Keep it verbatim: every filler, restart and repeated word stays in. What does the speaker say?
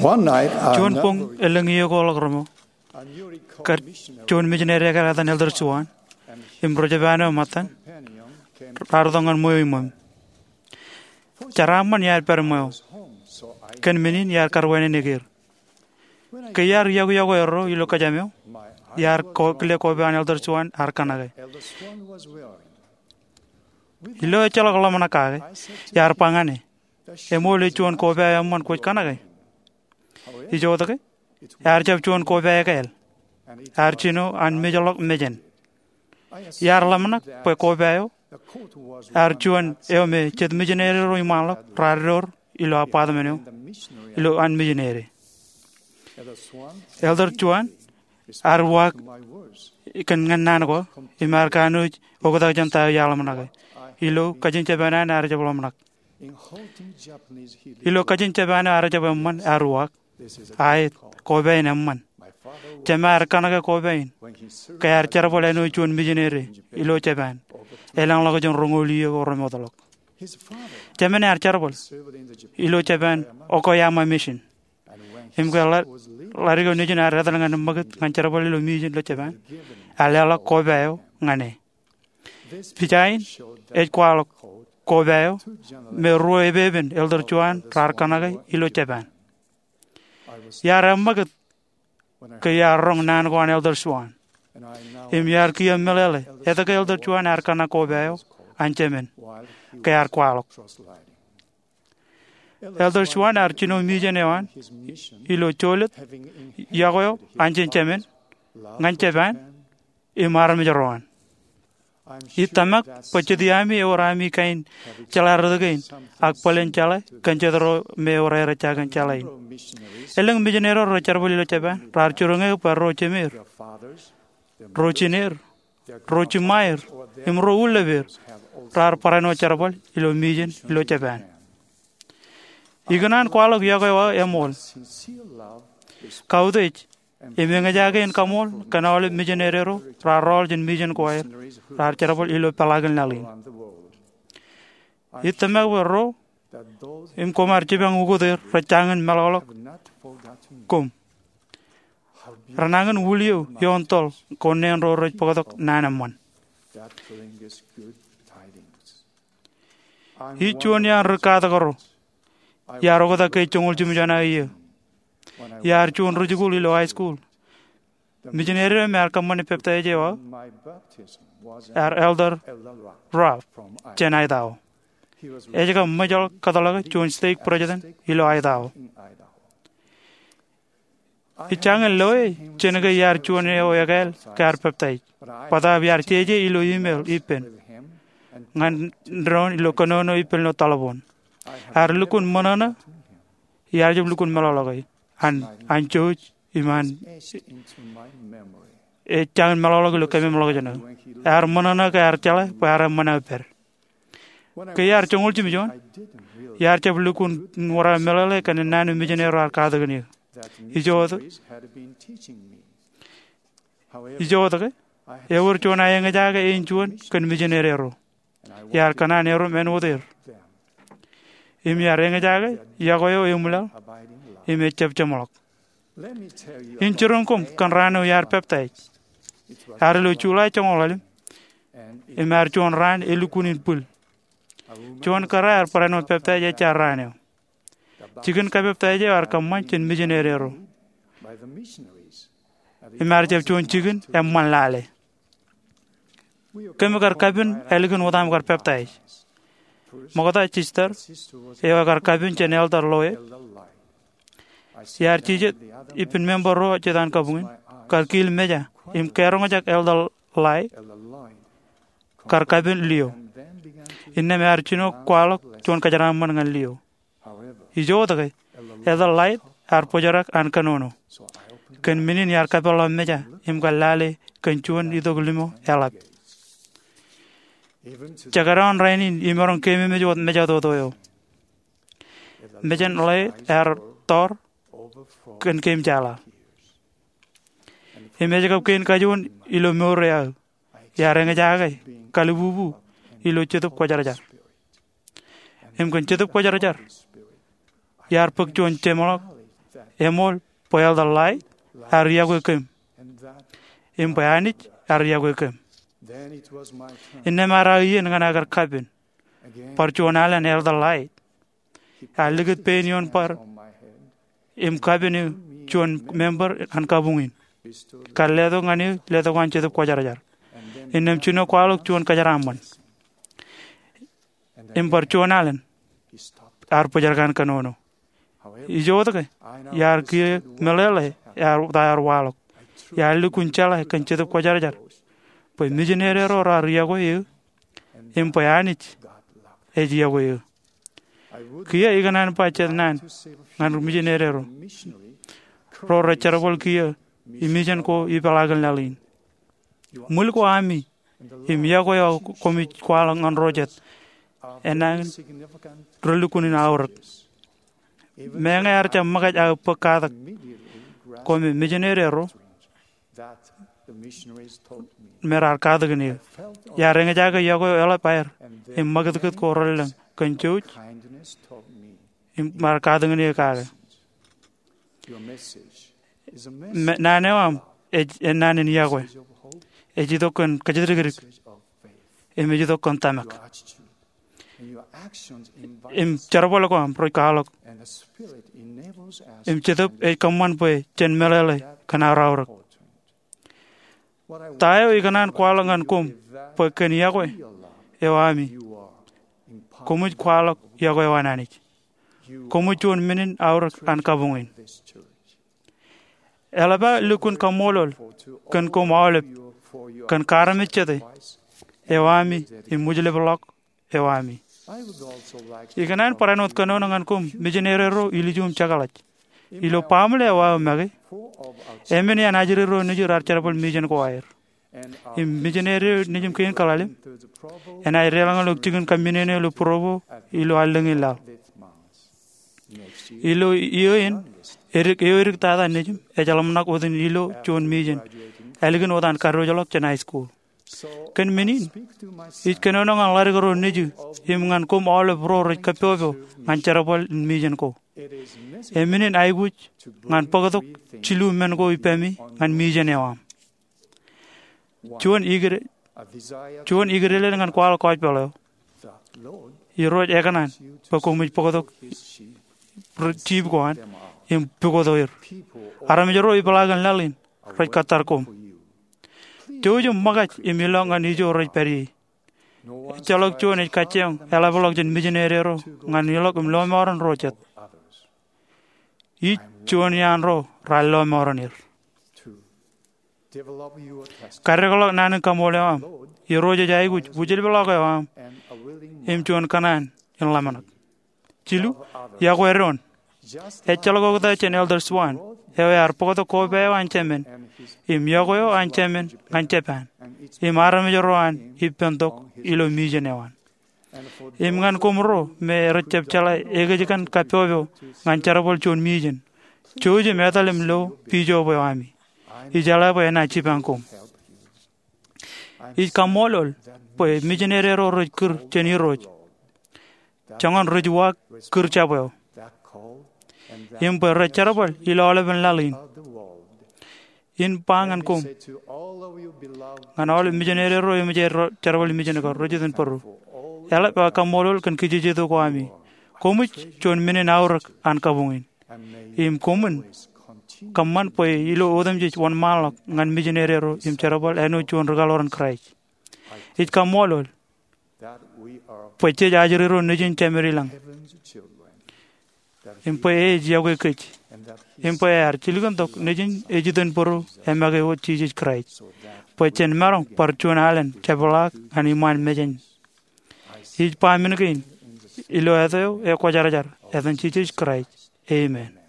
Juon boñ elōñ iiō ko ḷọk reṃo, kar juon mijineri ekāāl etan Elder Swan im ri-jepaan eo ṃōttan raar itok ñan ṃweo iṃōm. Jeraaṃṃan iar pād ṃweo kōn men in iar kar wānōk er. Ke iar yokwe erro ilo kōjām eo, iar kile koba an Elder Swan ear kanake. Ilo ejjeḷọk ḷōmṇak kake, iar ba ñan e, eṃool ej juon koba eo eṃṃan kwōj kanake? Ijoko, ear jab juon koba ekāāl. Ear jino an mejḷọk mejān. Iar ḷōmṇak bwe koba eo ear juon eo me jet mijineri ro iṃaanḷọk raar door ilo apartment eo ilo an mijineri. Elder Swan ear uwaak kōn ñan naan ko im ear kanooj oktak jān ta eo iar ḷōmṇake. Ilo kajin Jepaan an ear jab ḷōmṇak. Ilo kajin Jepaan eo ear jab eṃṃan, ear uwaak, Aet, koba in eṃṃan. Jema ear kanake koba in ke ear jerbal āinwōt juon mijineri ilo Jepaan elōñḷọk jān roñoul iiō ko remootḷọk. Jemen ear jerbal ilo Jepaan Okayama Mission. Im ke ḷa-, ḷadik eo nejin ear etal ñan ṃakūt ñan jerbal ilo mission ilo Jepaan, ear leḷọk koba eo ñan e. Pija in ej kwaḷọk koba eo me ruo epepen Elder Swan raar kanake ilo Jepaan. Iar eṃṃakūt ke iar roñ naan ko an Elder Swan. Im iar kiiō meḷeḷe etke Elder Swan ear kanak koba eo an jemen ke ear kwaḷọk. Elder Swan ear jino mission eo an ilo jolōt, yokwe eo an jān jemen, ñan Jepaan, im armej ro an. Ij tōmak bwe jet iami ewōr ami kain jeḷā rot kein ak bōlen jeḷā kōn jet ro me ewōr aer ejja kōn jeḷā in. Elōñ mijineri ro rej jerbal ilo Jepaan raar jiroñ eō bwe ro jemeir, ro jineir, ro jiṃaer, im ro ullōpeir raar barāinwōt jerbal ilo mission ilo Jepaan. Ikōṇaan kwaḷọk yokwe eo aō eṃool. Kautiej im eñjake in kaṃool kōn aolep mijineri ro raar rọọl jān mission ko aer raar jerbal ilo peḷaakin laḷ in. Ij tōmak bwe ro im koṃ ar jipañ ukōt er rej jañin meḷọkḷọk koṃ. Renañin wūliō ioon toḷ ko neen ro rej bōktok naan eṃṃan. Ij juon iaan ri-katak ro. Iar oktak ke joñoul jimjuon aō iiō. Iar juon ri-jikuuḷ ilo high school. Mijineri eo me ear kōṃṃane peptaij eo aō ear Elder Ruff jān Idaho. Ej kab ṃōjḷọk kōtḷọke juon stake president ilo Idaho. Ij jañin loe jān ke iar juon eo ekāāl ke ear peptaij, bōtaab iar jeje ilo email ippān ñan doon ilo kōnono ippān ilo taḷboon. Ear lukkuun ṃōṇōṇō, iar jab lukkuun meḷọkḷọke an, an jouj im an, ej jañin meḷọkḷọk ilo kememḷọkjeṇ eo. Ear ṃōṇōṇō ke ear jeḷā bwe ear eṃṃan aō pād. Ke iar joñoul jimjuon, iar jab lukkuun wōr aō meḷeḷe kōn naan eo mijineri ro ear katakin eō. Ijoko, ijoko ke, ewōr juon aō eñjake āinjuon kōn mijineri ro. Iar kōṇaan erom āinwōt er. Im iar eñjake yokwe eo eṃwilaḷ im ejab jeṃḷọk. In jiroñ koṃ kōn raan eo iar peptaij. Ear ilo July joñoul ḷalem, im ear juon raan elukkuun in bwil. Juon kōrā ear barāinwōt peptaij ejja raan eo. Jikin kapeptaij eo ear kōṃṃan jān mijineri ro. Im ear jab juon jikin eṃṃan lale. Kōm kar kapen ālikin wōt aṃ kar peptaij. Ṃokta, sister eo ekar kapen jān Elder Lloyd, iar jijet ippān member ro jet an kabuñ in, kar kiil meja im karoñjake Elder Lloyd kar kapen Leo. Innām ear jino kwaḷọk juon kōjeraaṃṃan ñan Leo. Ijoko ke, Elder Lloyd ear bōjrak an kōnono. Kōn men in iar kapeḷḷọk meja im kar lale kōn juon itok limo eḷap. Jekdọọn rainin imaroñ keememej wōt meja toto eo. Mejān Lloyd ear tọọr kōn keemjeḷā. Im ej kab kein kajoor ilo mour eo aō. Iar eñjake kalibubu ilo Jetōb Kwōjarjar. Im kōn Jetōb Kwōjarjar, iar bōk juon jeṃḷọk Eṃool bwe Elder Lait ear yokwe kōm, im bwe Anij ear yokwe kōm. Innām ear aō iien ñan aō kar kapen bar juon alen Elder Lait. Ear likūt pein ioon bar im kapen eō juon member an kabuñ in, kar letok ñan eō letok an Jetōb Kwōjarjar. Innām jino kwaḷọk juon kōjeraaṃṃan. Im bar juon alen ear bōjrak an kōnono. Ijoke, iar kiiō meḷeḷe ta ear waḷọk. Iar lukkuun jeḷā kōn Jetōb Kwōjarjar bwe mijineri ro raar yokwe eō im bwe Anij ej yokwe eō. Kiiō ikōṇaan ba jet naan ñan mijineri ro rej jerbal kiiō imejen ko ipeḷaakin laḷ in. Ṃwil ko ami im yokwe eo koṃij kwaḷọk ñan ro jet enañin relukkuun in aorōk. Meñe ear jab ṃōkaj aō bōk katak ko me mijineri ro me raar katakin eō, iar eñjake yokwe eo eḷap aer im ṃakūtkūt ko relōñ kōn jouj im raar katakin eō kake. Naan eo aṃ ej naan in yokwe. Ej itok kōn kōjatdikdik im ej itok kōn tōmak. Im jerbal ko aṃ rej kwaḷọk im Jetōb ej kōṃṃan bwe jen meḷeḷe kōn aor aorōk. Ta eo ikōṇaan kwaḷọk ñan koṃ bwe kōn yokwe eo ami, koṃij kwaḷọk yokwe eo an Anij. Koṃij juon men in aorōk an kabuñ in. Eḷap aō lukkuun kaṃṃoolol kōn koṃ aolep kōn kaarmejjete eo ami im wūjlepḷọk eo ami. Ikōṇaan barāinwōt kōnono ñan koṃ mijineri ro ilju im jekḷaj. Ilo baaṃle eo aō make, emān iaan ajri ro nejū raar jerbal mijen ko aer. Im mijineri eo nejūṃ kein kaḷalem enaaj deḷọñḷọk jikin kaminene ilo Provo ilo allōñ in laḷ. Ilo iiō in, edik, eo edik tata nejūṃ ej ḷōmṇak wōt in ilo juon mijen ālikin wōt an kadiwōjḷọk jān high school. Kōn men in, ij kōnono ñan ḷadik ro nejū im ñan koṃ aolep ro rej kappọpọ ñan jerbal in mijen ko. Emān in aikuj ñan bōktok jilu men ko ippemi ñan mijen eo aṃ. Juon ikdel, juon ikdel in ñan kwaḷọk gospel eo. Irooj ekōṇaan bwe koṃij bōktok jiip ko an im pukot er. Armej ro ipeḷaakin laḷ in rej kōttar koṃ. Jouj im ṃōkaj im ilọk ñan ijo rej pād ie. Ejjeḷọk juon ej kajjioñ eḷapḷọk jān mijineri ro ñan ilọk im lọmọọren ro jet. Ij juon iaan ro raar lọmọọren er. Kaddekḷọk naan in kaṃool eo aṃ. Irooj ej aikuj wūjlepḷọk eo aṃ im juon kōṇaan in ḷōmṇak. Jilu, yokwe doon. Ejjeḷọk oktak jān Elder Swan eo ear bōktok koba eo an Jemān im yokwe eo an Jemān ñan Japan im armej ro an ippān tok ilo mijen eo an. Im ñan koṃ ro me rej jab jeḷā ekōjkan kappọpọ ñan jerbal juon mijen, jouj im etal im lo bishop eo ami. Ijeḷā bwe enaaj jipañ koṃ. Ij kaṃṃoolol bwe mijineri ro rej kūr jān Irooj joñan ri-juwaak kūr jab eo im bwe rej jerbal ilo aolepen laḷ in. In ba ñan koṃ, ñan aolep mijineri ro eṃōj aer jerbal mijen ko rej iten bōro, eḷap aō kaṃṃoolol kōn kijejeto ko ami. Koṃij juon men in aorōk an kabuñ in. Im koṃwin kōṃṃan bwe ilo otemjej wōnṃaanḷọk ñan mijineri ro im jerbal āinwōt juon ri-kaḷoran Kraist. Ij kaṃṃoolol bwe jej ajri ro nejin Jemān ilañ im bwe e ej yokwe kōj im bwe ear jilkintok nejin ej iten bōro emake wōt Jisōs Kraist bwe jen maroñ bar juon alen jepḷaak ñan iṃaan mejān. Ij ba men kein ilo āt eo ekwōjarjar, etan Jisōs Kraist, amen.